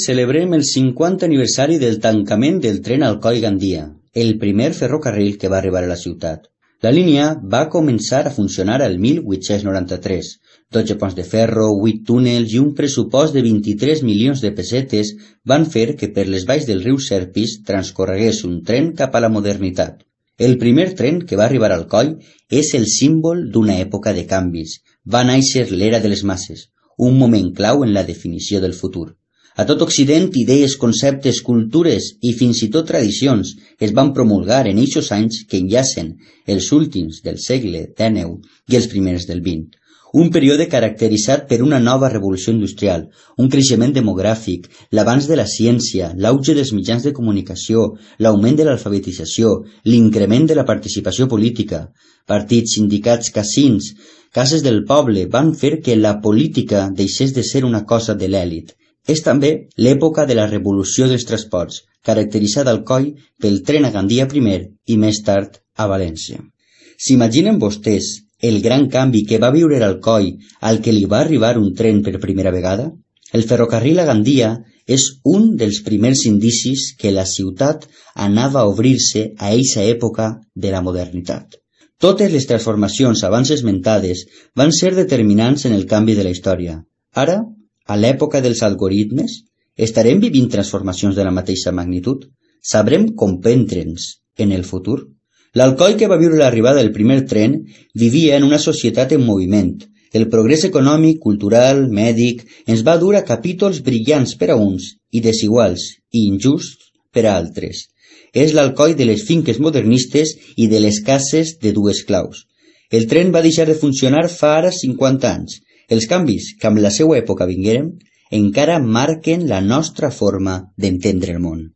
Celebrem el 50 aniversari del tancament del tren Alcoi-Gandia, el primer ferrocarril que va arribar a la ciutat. La línia va començar a funcionar el 1893. 12 ponts de ferro, 8 túnels i un pressupost de 23 milions de pessetes van fer que per les valls del riu Serpis transcorregués un tren cap a la modernitat. El primer tren que va arribar al Alcoi és el símbol d'una època de canvis. Va néixer l'era de les masses, un moment clau en la definició del futur. A tot Occident, idees, conceptes, cultures i fins i tot tradicions es van promulgar en eixos anys que enllacen els últims del segle XIX i els primers del XX. Un període caracteritzat per una nova revolució industrial, un creixement demogràfic, l'avanç de la ciència, l'auge dels mitjans de comunicació, l'augment de l'alfabetització, l'increment de la participació política, partits, sindicats, casins, cases del poble van fer que la política deixés de ser una cosa de l'èlit. És també l'època de la revolució dels transports, caracteritzada al Alcoi pel tren a Gandia primer i més tard a València. S'imaginen vostès el gran canvi que va viure l'Alcoi al que li va arribar un tren per primera vegada? El ferrocarril a Gandia és un dels primers indicis que la ciutat anava a obrir-se a eixa època de la modernitat. Totes les transformacions abans esmentades van ser determinants en el canvi de la història. Ara, a l'època dels algoritmes, estarem vivint transformacions de la mateixa magnitud? Sabrem comprendre'ns en el futur? L'Alcoi que va viure l'arribada del primer tren vivia en una societat en moviment. El progrés econòmic, cultural, mèdic, ens va dur a capítols brillants per a uns i desiguals i injusts per a altres. És l'Alcoi de les finques modernistes i de les cases de dues claus. El tren va deixar de funcionar fa ara 50 anys. Els canvis que amb la seva època vingueren encara marquen la nostra forma d'entendre el món.